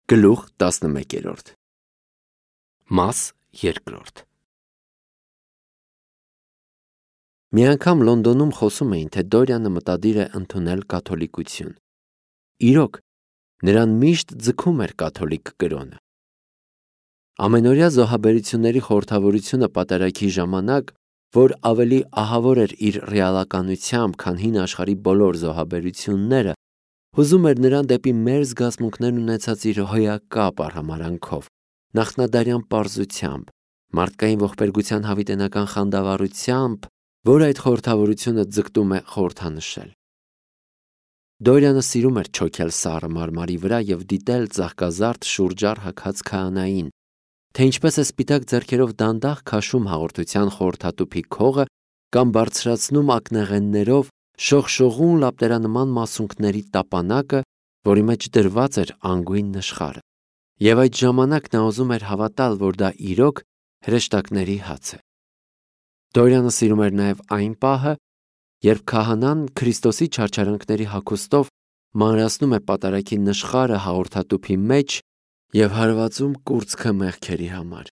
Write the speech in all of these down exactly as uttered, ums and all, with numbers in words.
Գլուխ տասնմեկերորդ Մաս երկրորդ Մի անգամ Լոնդոնում խոսում էին, թե Դորյանը մտադիր է ընդունել կաթոլիկություն։ Իրոք, նրան միշտ ձգում էր կաթոլիկ կրոնը։ Ամենօրյա զոհաբերությունների խորհրդավորությունը պատարագի ժամանակ, որ ավելի ահավոր էր իր ռեալականությամբ, քան հին աշխարհի բոլոր զոհաբերությունները, հուզում էր նրան դեպի մեր զգացմունքներն ունեցած իր հոյակապ արհամարանքով, նախնադարյան պարզությամբ, մարդկային ողբերգության հավիտենական խանդավառությամբ, որ այդ խորհրդավորությունը ձգտում է խորհրդանշել։ Դորյանը սիրում էր չոքել սառը մարմարի վրա և դիտել ծաղկազարդ շուրջառ հագած քահանային, թե ինչպես է սպիտակ ձեռքերով դանդաղ քաշում հաղորդության խորհրդատուփի քողը կամ բարձրացնում ակնեղեններով շողշողուն լապտերանման մասունքների տապանակը, որի մեջ դրված էր անգույն նշխարը, և այդ ժամանակ նա ուզում էր հավատալ, որ դա իրոք հրեշտակների հաց է։ Դորյանը սիրում էր նաև այն պահը, երբ քահանան Քրիստոսի չարչարանքների հագուստով մանրացնում է պատարագի նշխարը հաղորդատուփի մեջ և հարվածում կուրծքը մեղքերի համար։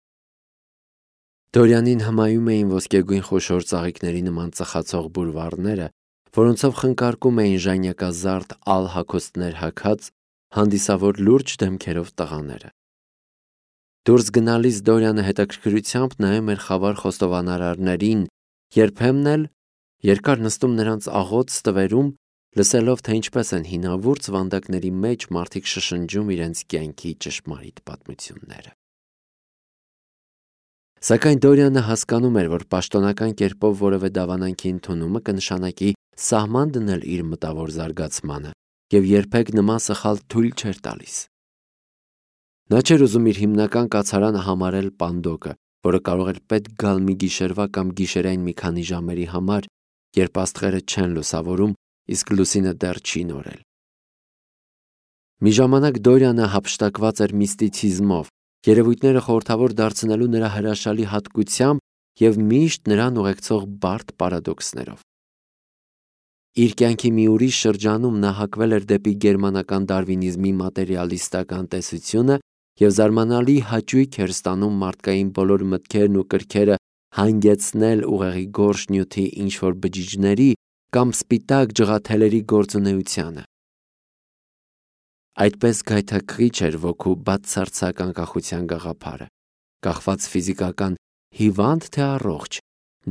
Դորյանին հմայում էին ոսկեգույն խոշոր ծաղիկների նման ծխացող բուրվառները, որոնցով խնկարկում էին ժանյակազարդ ալ հագուստներ հագած հանդիսավոր լուրջ դեմքերով տղաները։ Դուրս գնալիս Դորյանը հետաքրքրությամբ նայում էր խավար խոստովանարարներին, երբեմն էլ երկար նստում նրանց աղոտ ստվերում, լսելով, թե ինչպես են հինավուրց վանդակների մեջ մարդիկ շշնջում իրենց կյանքի ճշմարիտ պատմությունները։ Սակայն Դորյանը հասկանում էր, որ պաշտոնական կերպով որևէ դավանանքի ընդունումը կնշանակի սահման դնել իր մտավոր զարգացմանը և երբեք նման սխալ թույլ չէր տալիս։ Նա չէր ուզում իր հիմնական կացարանը համարել պանդոկը, որը կարող էր պետք գալ մի գիշերվա կամ գիշերային մի քանի ժամերի համար, երբ աստղերը չեն լուսավորում, իսկ լուսինը դեռ չի նորել։ Մի ժամանակ Դորյանը հափշտակված էր միստիցիզմով, երևույթները խորհրդավոր դարձնելու նրա հրաշալի հատկությամբ և միշտ նրան ուղեկցող բարդ պարադոքսներով։ Իր կյանքի մի ուրիշ շրջանում նա հակվել էր դեպի գերմանական դարվինիզմի մատերիալիստական տեսությունը և զարմանալի հաճույք էր ստանում մարդկային բոլոր մտքերն ու կրքերը հանգեցնել ուղեղի գորշ նյութի ինչ-որ բջիջների կամ սպիտակ ջղաթելերի գործունեությանը։ Այդպես գայթակղիչ էր ոգու բացարձակ անկախության գաղափարը, կախված ֆիզիկական հիվանդ թե առողջ,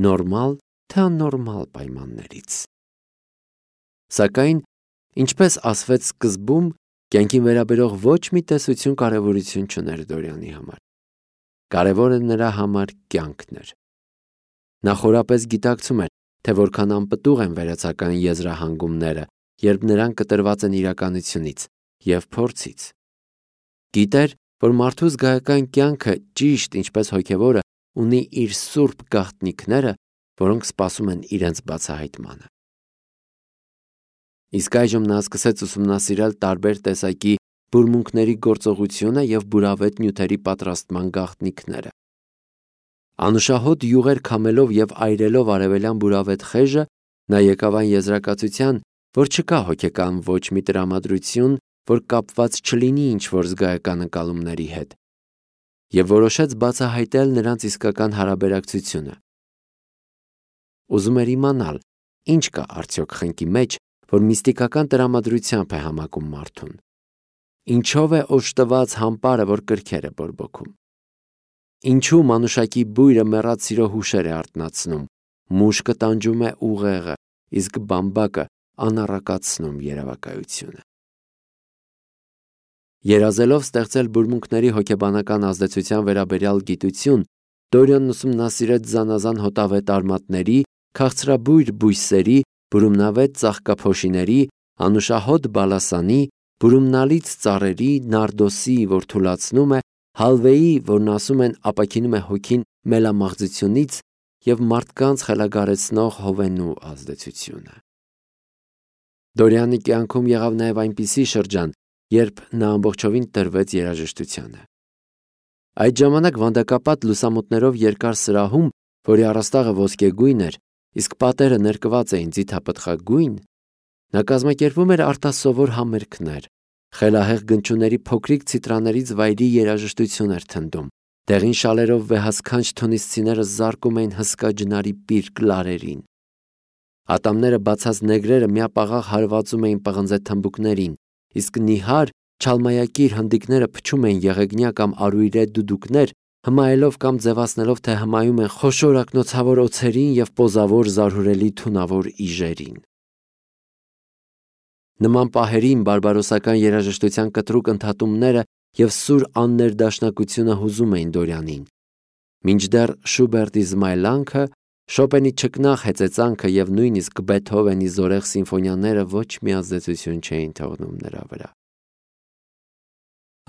նորմալ թե աննորմալ պայմաններից։ Սակայն, ինչպես ասվեց սկզբում, կյանքին վերաբերող ոչ մի տեսություն կարևորություն չուներ Դորյանի համար։ Կարևորը նրա համար կյանքն էր։ Նա խորապես գիտակցում էր, թե որքան անպտուղ են վերացական եզրահանգումները, երբ նրանք կտրված են իրականությունից և փորձից։ Գիտեր, որ մարդու զգայական կյանքը, ճիշտ ինչպես հոգևորը, ունի իր սուրբ գաղտնիքները, որոնք սպասում են իրենց բացահայտմանը։ Իսկ այժմ նա սկսեց ուսումնասիրել տարբեր տեսակի բուրմունքների գործողությունը և բուրավետ նյութերի պատրաստման գաղտնիքները։ Անուշահոտ յուղեր քամելով և այրելով արևելյան բուրավետ խեժը, նա եկավ այն եզրակացության, որ չկա հոգեկան ոչ մի տրամադրություն, որ կապված չլինի ինչ-որ զգայական ընկալումների հետ, և որոշեց բացահայտել նրանց իսկական հարաբերակցությունը։ Ուզում էր իմանալ, ինչ կա արդյոք խնկի մեջ, որ միստիկական տրամադրությամբ է համակում մարդուն։ Ինչով է օժտված համբարը, որ կրքեր է բորբոքում։ Ինչու մանուշակի բույրը մեռած սիրո հուշեր է արթնացնում, մուշկը տանջում է ուղեղը, իսկ բամբակը անառակացնում երևակայությունը։ Երազելով ստեղծել բուրմունքների հոգեբանական ազդեցության վերաբերյալ գիտություն, Դորյանն ուսումնասիրեց զանազան հոտավետ արմատների, քաղցրաբույր բույսերի, բուրումնավետ ծաղկափոշիների, անուշահոտ բալասանի, բուրումնալից ծառերի, նարդոսի, որ թուլացնում է, հալվեի, որն ասում են ապաքինում է հոգին մելամաղձությունից, և մարդկանց խելագարեցնող հովենու ազդեցությունը։ Դորյանի կյանքում եղավ նաև այնպիսի շրջան, երբ նա ամբողջովին տրվեց երաժշտությանը։ Այդ ժամանակ վանդակապատ լուսամուտներով երկար սրահում, որի առաստաղը ոսկեգույն էր, իսկ պատերը ներկված էին ձիթապտղագույն, նա կազմակերպում էր արտասովոր համերգներ, Խելահեղ գնչուների փոքրիկ ցիտրաներից վայրի երաժշտություն էր թնդում։ Դեղին շալերով վեհասքանչ թունիսցիները զարկում էին հսկա ջնարի պիրկ լարերին։ Ատամները բացած նեգրերը միապաղաղ հարվածում էին պղնձե թմբուկներին, իսկ նիհար, չալմայակիր հնդիկները փչում էին եղեգնյա կամ արույրե դուդուկներ, հմայելով կամ ձևացնելով, թե հմայում են խոշոր ակնոցավոր օձերին և պոզավոր զարհուրելի թունավոր իժերին։ Նման պահերին բարբարոսական երաժշտության կտրուկ ընդհատումները և սուր աններդաշնակությունը հուզում էին Դորյանին, մինչդեռ Շուբերտի զմայլանքը, Շոպենի չկնաղ հեծեծանքը և նույնիսկ Բեթհովենի զորեղ սիմֆոնիաները ոչ մի ազդեցություն չէին թողնում նրա վրա։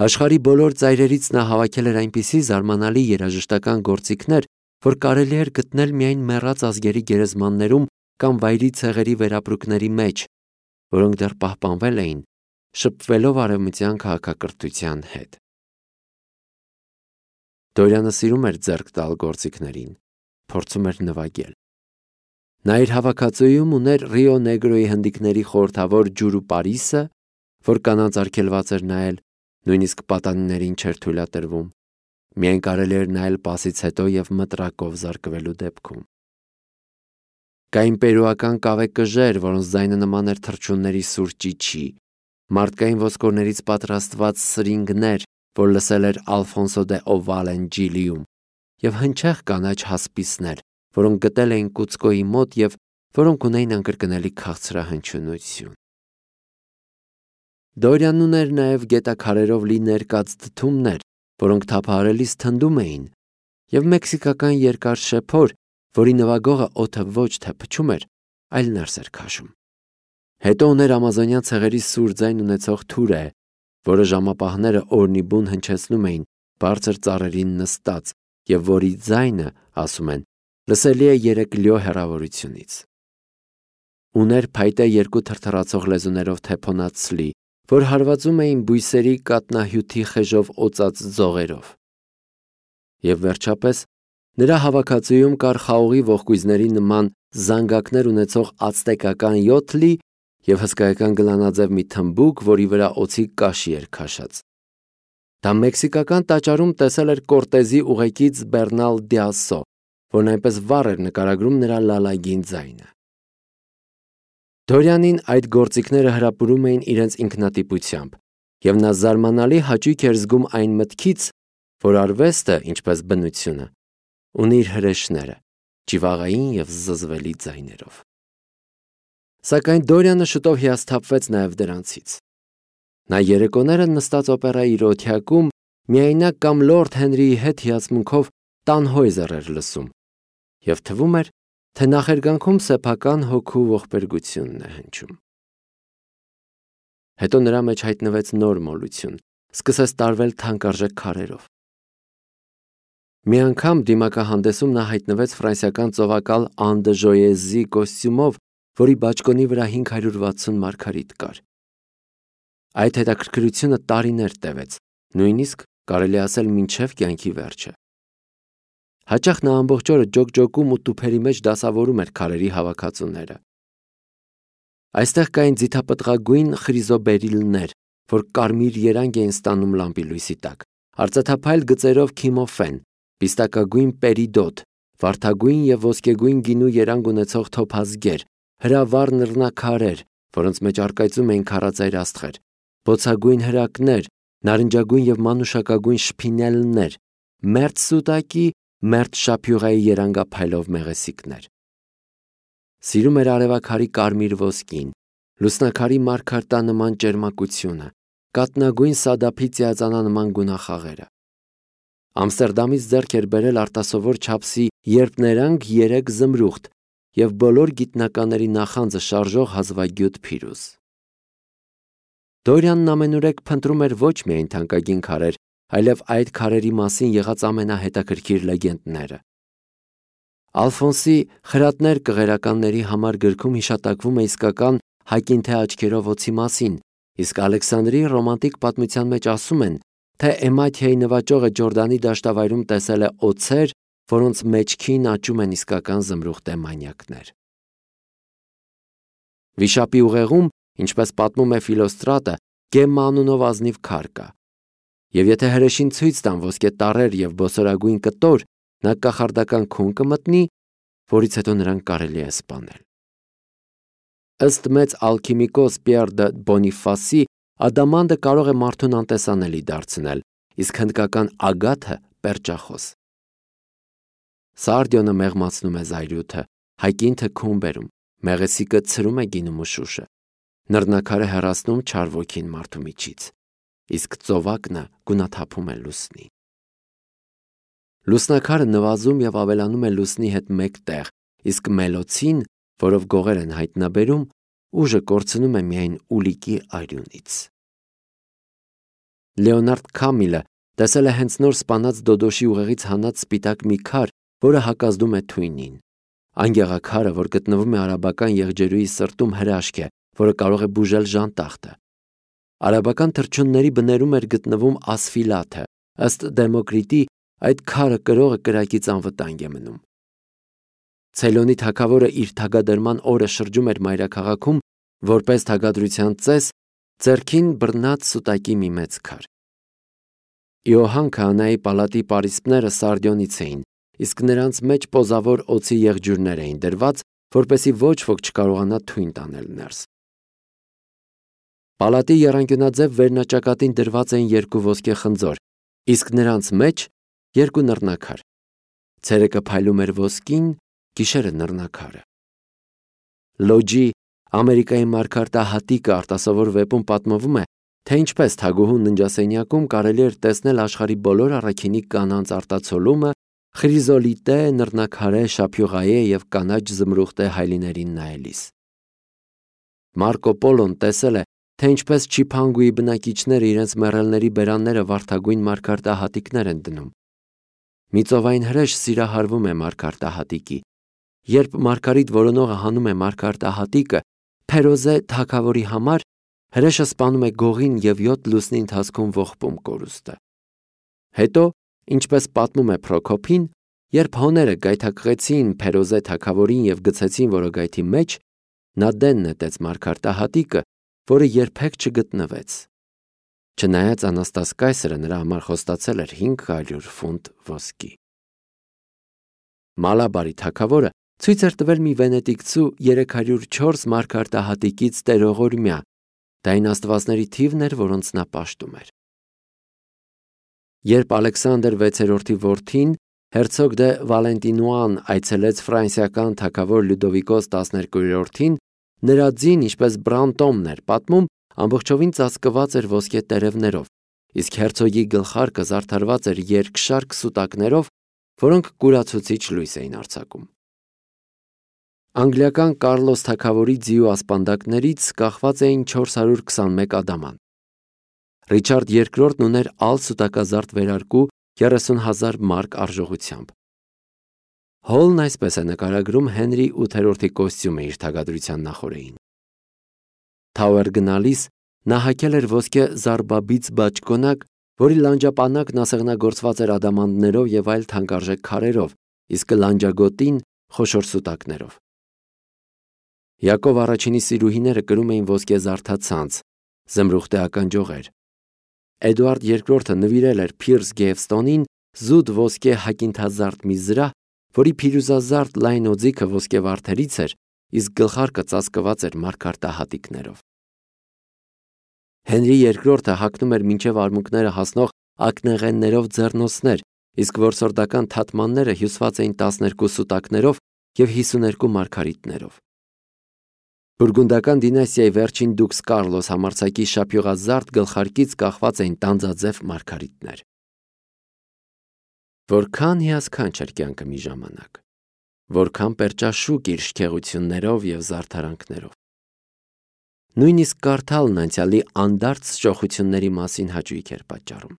Աշխարհի բոլոր ծայրերից նա հավաքել էր այնպիսի զարմանալի երաժշտական գործիքներ, որ կարելի էր գտնել միայն մեռած ազգերի գերեզմաններում կամ վայրի ցեղերի վերապրուկների մեջ, որոնք դեռ պահպանվել էին, շփվելով արևմտյան քաղաքակրթության հետ։ Դորյանը սիրում էր ձեռք տալ գործիքներին, փորձում էր նվագել։ Նա իր հավաքածուում ուներ Ռիո Նեգրոյի հնդիկների խորհրդավոր Ջուրու Պարիսը, որ կանանց արգելված էր նայել, նույնիսկ պատանիներին չէր թույլատրվում, միայն կարելի էր նայել պասից հետո և մտրակով զարկվելու դեպքում։ Կային պերուական կավե կժեր, որոնց ձայնը նման էր թռչունների սուր ճիչի, մարդկային ոսկորներից պատրաստված սրինգներ, որ լսել էր Ալֆոնսո դե Օվալեն Ջիլիում, և հնչեղ կանաչ հասպիսներ, որոնք գտել էին Կուցկոյի մոտ և որոնք ունեին անկրկնելի քաղցրահնչյունություն։ Դորյանն ուներ նաև գետաքարերով լի ներկած դդումներ, որոնք թափահարելիս թնդում էին, և մեքսիկական երկար շեփոր, որի նվագողը օդը ոչ թե փչում էր, այլ ներս էր քաշում։ Հետո ուներ ամազոնյան ցեղերի սուր ձայն ունեցող թուրե, որը ժամապահները օրնիբուն հնչեցնում էին բարձր ծառերին նստած և որի ձայնը, ասում են, լսելի է երեք լյո հեռավորությունից։ Ուներ փայտե երկու թրթռացող լեզուներով թեփոնած ցլի, որ հարվածում էին բույսերի կատնահյութի խեժով օծած ձողերով։ Եվ վերջապես նրա հավաքածուում կար խաղողի ողկույզների նման զանգակներ ունեցող ացտեկական յոթլի և հսկայական գլանաձև մի թմբուկ, որի վրա օձի կաշի էր քաշած։ Դա մեքսիկական տաճարում տեսել էր Կորտեզի ուղեկից Բեռնալ Դիասո, որն այնպես վառ էր նկարագրում նրա լալագին ձայնը։ Դորյանին այդ գործիքները հրապուրում էին իրենց ինքնատիպությամբ, և նա զարմանալի հաճույք էր զգում այն մտքից, որ արվեստը, ինչպես բնությունը, ունի իր հրեշները, ճիվաղային և զզվելի ձայներով։ Սակայն Դորյանը շուտով հիասթափվեց նաև դրանցից։ Նա երեկոները նստած օպերայի իր օթյակում միայնակ կամ լորդ Հենրիի հետ հիացմունքով Տանհոյզեր էր լսում, և թվում էր, թե նախերգանքում սեփական հոգու ողբերգությունն է հնչում։ Հետո նրա մեջ հայտնվեց նոր մոլություն, սկսեց տարվել թանկարժեք քարերով։ Մի անգամ դիմակահանդեսում նա հայտնվեց ֆրանսիական ծովակալ Ան դը Ժոեզի կոստյումով, որի բաճկոնի վրա հինգ հարյուր վաթսուն մարգարիտ կար։ Այդ հետաքրքրությունը տարիներ տևեց, նույնիսկ կարելի ասել մինչև կյանքի վերջը։ Հաճախ նա ամբողջ օրը ջոկջոկում ու տուփերի մեջ դասավորում էր քարերի հավաքածուները։ Այստեղ կային ձիթապտղագույն խրիզոբերիլներ, որ կարմիր երանգ էին ստանում լամպի լույսի տակ, արծաթափայլ գծերով քիմոֆեն, պիստակագույն պերիդոտ, վարդագույն և ոսկեգույն գինու երանգ ունեցող թոփազգեր, հրավառ նռնակարեր, որոնց մեջ առկայծում էին քարածայր աստղեր, բոցագույն հրակներ, նարնջագույն և մանուշակագույն շփինելներ, մերթ սուտակի, մերթ շափյուղայի երանգափայլով մեղեսիկներ։ Սիրում էր արևաքարի կարմիր ոսկին, լուսնակարի մարգարտանման ճերմակությունը, կատնագույն սադափի ծիածանանման գունախաղերը։ Ամստերդամից ձեռք էր բերել արտասովոր չափսի երպներանգ երեք զմրուխտ և բոլոր գիտնականների նախանձը շարժող հազվագյուտ փիրուզ։ Դորյանն ամենուրեք փնտրում էր ոչ միայն թանկագին քարեր, այլև այդ քարերի մասին եղած ամենահետաքրքիր լեգենդները։ Ալֆոնսի «Խրատներ կղերականների» համար գրքում հիշատակվում է իսկական հակինթե աչքերով օձի մասին, իսկ Ալեքսանդրի ռոմանտիկ պատմության մեջ ասում են, թե Էմաթիայի նվաճողը Ջորդանի դաշտավայրում տեսել է օձեր, որոնց մեջքին աճում են իսկական զմրուխտե մանյակներ։ Վիշապի ուղեղում, ինչպես պատմում է Ֆիլոստրատը, Գեմմա անունով ազնիվ քար կա։ Եվ եթե հրեշին ցույց տան ոսկե տառեր եւ բոսորագույն կտոր, նա կախարդական քուն կմտնի, որից հետո նրան կարելի է սպանել։ Ըստ մեծ ալքիմիկոս Պիեր դե Բոնիֆասի, ադամանդը կարող է մարդուն անտեսանելի դարձնել, իսկ հնդկական ագաթը պերճախոս։ Սարդիոնը մեղմացնում է զայրույթը, հայկինթը քուն բերում, մեղեսիկը ցրում է գինու մշուշը, նռնակարը հեռացնում չար ոգին մարդու միջից, իսկ ծովակնը գունաթափում է լուսնի։ Լուսնակարը նվազում եւ ավելանում է լուսնի հետ մեկտեղ, իսկ մելոցին, որով գողեր են հայտնաբերում, ուժը կորցնում է միայն ուլիկի արյունից։ Լեոնարդ Քամիլը տեսել է հենց նոր սպանած Դոդոշի ուղեղից հանած սպիտակ մի քար, որը հակազդում է թույնին։ Այն գեղաքարը, որ գտնվում է արաբական եղջերուի սրտում, հրաշք է, որը կարող է բուժել ժանտախտը։ Արաբական թռչունների բներում էր գտնվում ասֆիլաթը, ըստ Դեմոկրիտի, այդ քարը կրողը կրակից անվտանգ է մնում։ Ցեյլոնի թագավորը իր թագադրման օրը շրջում էր մայրաքաղաքում, որպես թագադրության ծես, ձեռքին բռնած սուտակի մի մեծ քար։ Իոհան քահանայի պալատի պարիսպները Սարդիոնից էին, իսկ նրանց մեջ պոզավոր օձի եղջյուրներ էին դրված, որպեսզի ոչ ոք չկարողանա թույն տանել ներս։ Պալատի եռանկյունաձև վերնաճակատին դրված էին երկու ոսկե խնձոր, իսկ նրանց մեջ երկու նռնակար։ Ցերեկը փայլում էր ոսկին, գիշերը նռնակարը։ Լոջի Ամերիկայի մարգարտահատիկը արտասովոր վեպում պատմվում է, թե ինչպես թագուհու ննջասենյակում կարելի էր տեսնել աշխարհի բոլոր առաքինի կանանց արտացոլումը, խրիզոլիտե, նռնակարե, շափյուղայե եւ կանաչ զմրուխտե հայլիներին նայելիս։ Մարկո Պոլոն տեսել է, թե ինչպես Չիփանգուի բնակիչները իրենց մեռելների բերանները վարդագույն մարգարտահատիկներ են դնում։ Մի ծովային հրեշ սիրահարվում է մարգարտահատիկի։ Երբ մարգարիտ որոնողը հանում է մարգարտահատիկը, Փերոզե թագավորի համար, հրեշը սպանում է գողին եւ յոթ լուսնի ընթացքում ողբում կորուստը։ Հետո, ինչպես պատմում է Պրոկոփին, երբ հոները գայթակղեցին Փերոզե թագավորին եւ գցեցին որոգայթի մեջ, նա դեն նետեց մարգարտահատիկը, որը երբեք չգտնվեց։ Չնայած Անաստաս կայսրը նրա համար խոստացել էր հինգ հարյուր ֆունտ ոսկի։ Մալաբարի թագավորը ցույց էր տվել մի վենետիկցու երեք հարյուր չորս մարգարտահատիկից տերողորմյա, դա այն աստվածների թիվն էր, որոնց նա պաշտում էր։ Երբ Ալեքսանդր վեցերորդի որդին, հերցոգ դե Վալենտինուան այցելեց ֆրանսիական թագավոր Լյուդովիկոս տասներկերորդին, նրա ձին, ինչպես Բրանտոմն էր պատմում, ամբողջովին ծածկված էր ոսկե տերևներով, իսկ հերցոգի գլխարկը զարդարված էր երկշարք սուտակներով, որոնք կուրացուցիչ լույս էին արձակում։ Անգլիական Կարլոս թագավորի ձիու ասպանդակներից կախված էին չորս հարյուր քսանմեկ ադաման։ Ռիչարդ երկրորդն ուներ ալ սուտակազարդ վերարկու երեսուն հազար մարկ արժողությամբ։ Հոլն այսպես է նկարագրում Հենրի ութերորդի կոստյումը իր թագադրության նախօրեին։ Թաուեր գնալիս նա հագել էր ոսկե զարբաբից բաճկոնակ, որի լանջապանակն ասեղնագործված էր ադամանդներով եւ այլ թանկարժեք քարերով, իսկ լանջագոտին խոշոր սուտակներով։ Յակով առաջինի սիրուհիները կրում էին ոսկե զարդացանց, զմրուխտե ականջողեր։ Էդուարդ երկրորդը նվիրել էր Փիրս Գեյվստոնին զուտ ոսկե հակինթազարդ մի զրահ, որի փիրուզազարդ լայն օձիքը ոսկե վարդերից էր, իսկ գլխարկը ծածկված էր մարգարտահատիկներով։ Հենրի երկրորդը հագնում էր մինչև արմունկները հասնող ակնեղեններով ձեռնոցներ, իսկ որսորդական թաթմանները հյուսված էին տասներկու սուտակներով եւ հիսուներկու մարգարիտներով։ Բուրգունդական դինաստիայի վերջին դուքս Կարլոս համարձակի շափյուղազարդ գլխարկից կախված էին տանձաձև մարգարիտներ։ Որքան հիասքանչ էր կյանքը մի ժամանակ, որքան պերճաշուկ իր շքեղություններով եւ զարդարանքներով։ Նույնիսկ կարդալն անցյալի անդարձ ճոխությունների մասին հաճույք էր պատճառում։